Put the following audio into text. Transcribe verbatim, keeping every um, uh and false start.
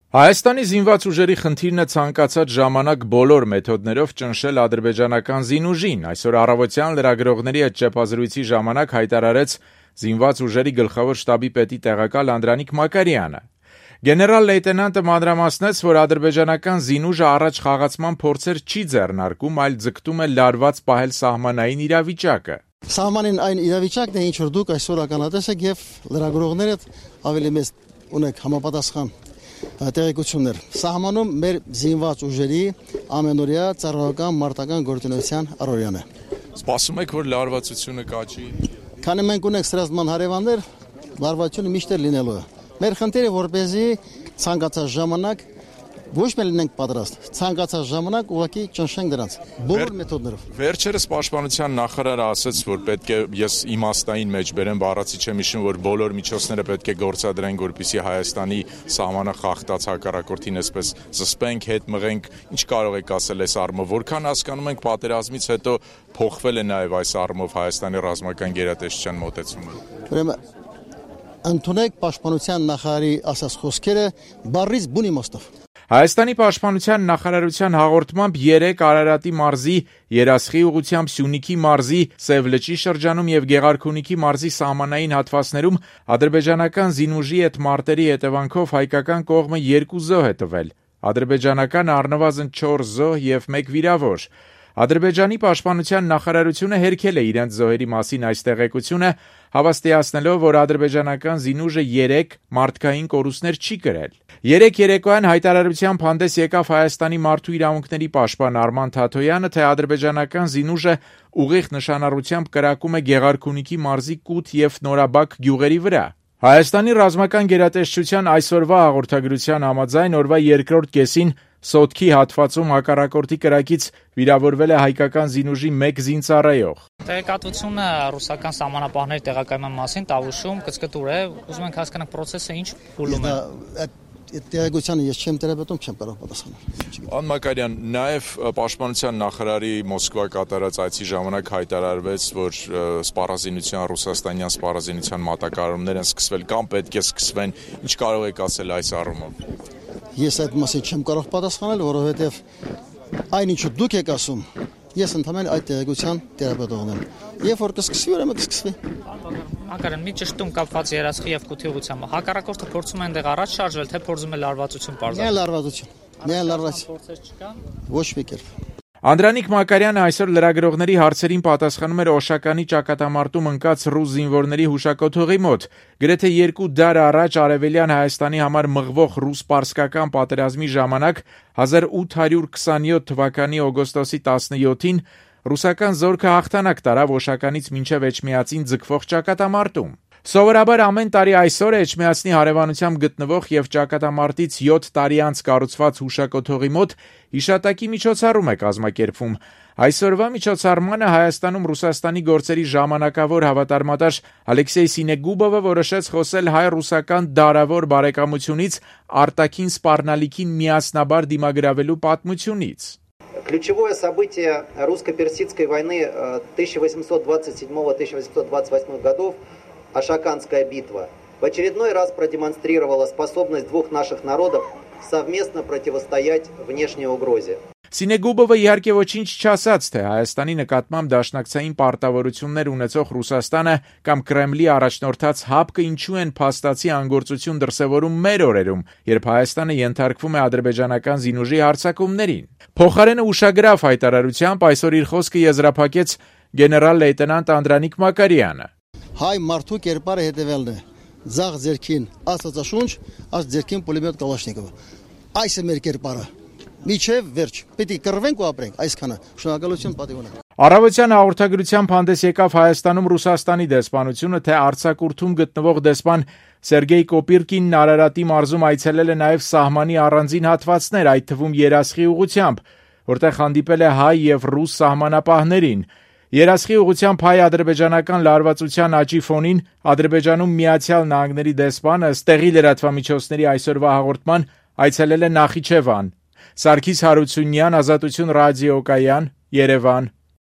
Հայաստանի զինված ուժերի խնդիրն է ցանկացած ժամանակ բոլոր մեթոդներով ճնշել ադրբեջանական զինուժին, այսօր առավոտյան լրագրողների հետ ճեպազրույցի ժամանակ հայտարարեց զինված ուժերի գլխավոր շտաբի պետի տեղակալ Անդրանիկ Մակարյանը։ Գեներալ լեյտենանտը մանրամասնեց, որ ադրբեջանական զինուժը առաջ խաղացման փորձեր չի ձեռնարկում, այլ ձգտում է լարված պահել սահմանային իրավիճակը։ Սահմանին այն իրավիճակն է, ինչ որ դուք այսօր ականատես եք եւ լրագրողները ավելի մեծ ունեք համապատասխան տեղեկություններ։ Սահմանում մեր զինված ուժերի ամենօրյա ծառայական մարտական գործունեության առօրյան է։ Սպասում եք, որ լարվածությունը կաճի։ Քանի մենք ունենք սրազման հարևաններ, լարվածությունը միշտ լինելու է։ Մեր խնդիրը որպեսզի ցանկացած ժամանակ ոչ միայն լինենք պատրաստ, ցանկացած ժամանակ ուղղակի ճնշենք դրանց բոլոր մեթոդներով։ Վերջերս պաշտպանության նախարարը ասաց, որ պետք է ես իմաստային մեջ բերեմ, բառացի չեմ հիշում, որ բոլոր միջոցները պետք է գործադրենք, որպեսզի Հայաստանի սահմանը խախտած հակառակորդին այսպես զսպենք, հետ մղենք։ Ինչ կարող եք ասել այս առումով, որքան հասկանում ենք պատերազմից հետո փոխվել է նաև այս առումով Հայաստանի ռազմական գերատեսչության մոտեցումը։ Ուրեմն ընդունեք պաշտպանության նախարարի ասած խոսքերը բառից բուն իմաստով։ Հայաստանի պաշտպանության նախարարության հաղորդմամբ երեք Արարատի մարզի, Երասխի ուղղությամբ Սյունիքի մարզի, Սև լճի շրջանում եւ Գեղարքունիքի մարզի սահմանային հատվածներում ադրբեջանական զինուժի հետ մարտերի հետևանքով հայկական կողմը երկու զոհ է տվել, ադրբեջանական առնվազն չորս զոհ եւ մեկ վիրավոր։ Ադրբեջանի պաշտպանության նախարարությունը հերքել է իրենց զոհերի մասին այս տեղեկությունը, հավաստիացնելով, որ ադրբեջանական զինուժը երեք մարդկային կորուստներ չի կրել։ Երեք երեկոյան հայտարարությամբ հանդես եկավ Հայաստանի մարդու իրավունքների պաշտպան Արման Թաթոյանը, թե ադրբեջանական զինուժը ուղիղ նշանառությամբ կրակում է Գեղարքունիքի մարզի Կութ եւ Նորաբակ գյուղերի վրա։ Հայաստանի ռազմական գերատեսչության այսօրվա հաղորդագրության համաձայն օրվա երկրորդ կեսին Սոտքի հատվածում հակառակորդի կրակից վիրավորվել է հայկական զինուժի մեկ զինծառայող։ Տեղեկատվությունը ռուսական սահմանապահների տեղակայման մասին Տավուշում կցկտուր է, ուզում ենք հասկանալ process-ը ինչ փուլում է։ Այդ տեղեկությանը ես չեմ տերապետում, չեմ կարող պատասխանել։ Ան Մակարյան, նաև պաշտպանության նախարարի Մոսկվա կատարած այցի ժամանակ հայտարարվեց, որ սպառազինության ռուսաստանյան սպառազինության մատակարարումներ են սկսվել կամ պետք է սկսվեն։ Ինչ կարող եք ասել այս առումով։ Ես այդ մասին չեմ կարող պատասխանել, որովհետև այնինչ դուք եք ասում, ես ընդհանրապես այդ տեղեկության տերապետողն եմ։ Երբ որ կսկսվի, ուրեմն կսկսվի։ Մակարյան, մի ճշտում կապված Երասխի եւ Կութի ուղղությամբ։ Հակառակորդը փորձում է այնտեղ առաջ շարժվել, թե փորձում է լարվածություն պարզել։ Միայն լարվածություն։ Միայն լարվածություն։ Փորձեր չկան։ Ոչ մի կերպ։ Անդրանիկ Մակարյանը այսօր լրագրողների հարցերին պատասխանում էր Օշականի ճակատամարտում ընկած ռուս զինվորների հուշակոթողի մոտ։ Գրեթե երկու դար առաջ արևելյան Հայաստանի համար մղվող ռուս-պարսկական պատերազմի ժամանակ հազար ութ հարյուր քսաներորդ թվականի օգոստոսի տասնյոթին ռուսական զորքը հաղթանակ տարավ Օշականից մինչև Էջմիածին ձգվող ճակատամարտում։ Սովորաբար ամեն տարի այսօր Էջմիածնի հարևանությամբ գտնվող եւ ճակատամարտից յոթ տարի անց կառուցված հուշակոթողի մոտ հիշատակի միջոցառում է կազմակերպվում։ Այսօրվա միջոցառմանը Հայաստանում Ռուսաստանի գործերի ժամանակավոր հավատարմատար Ալեքսեյ Սինեգուբովը որոշեց խոսել հայ-ռուսական դարավոր բարեկամությունից արտաքին սպառնալիքին միասնաբար դիմագրավելու պատմությունից։ Ключевое событие русско-персидской войны тысяча восемьсот двадцать седьмого — тысяча восемьсот двадцать восьмого годов Ашаканская битва в очередной раз продемонстрировала способность двух наших народов совместно противостоять внешней угрозе. Սինեգուբովը իհարկե ոչինչ չասաց, թե Հայաստանի նկատմամբ դաշնակցային պարտավորություններ ունեցող Ռուսաստանը կամ Կրեմլի առաջնորդած ՀԱՊԿ-ը ինչու են փաստացի անգործություն դրսևորում մեր օրերում, երբ Հայաստանը ենթարկվում է ադրբեջանական զինուժի հարձակումներին։ Փոխարենը ուշագրավ հայտարարությամբ այսօր իր խոսքը եզրափակեց գեներալ լեյտենանտ Անդրանիկ Մակարյանը։ Հայ մարդու կերպարը հետևելն է։ Ձախ ձերքին աստվածաշունչ, աս ձերքին պուլեմետ Կալաշնիկովը։ Այս է մեր կերպարը։ Միջև վերջ։ Պետք է կռվենք ու ապրենք, այսքանը։ Շնորհակալություն, պատիվ ունեմ։ Առավոտյան հաղորդագրությամբ հանդես եկավ Հայաստանում Ռուսաստանի դեսպանությունը, թե արձակուրդում գտնվող դեսպան Սերգեյ Կոպիրկինն Արարատի մարզում այցելել է նաև սահմանի առանձին հատվածներ, այդ թվում Երասխի ուղղությամբ, որտեղ հանդիպել է հայ եւ ռուս սահմանապահներին։ Երասխի ուղղությամբ հայ-ադրբեջանական լարվածության աճի ֆոնին Ադրբեջանում Միացյալ Նահանգների դեսպանը ստեղի լրատվամիջոցների այսօրվա հաղորդման այցելել է Նախիջևան։ Սարգիս Հարությունյան, Ազատություն ռադիոկայան, Երևան։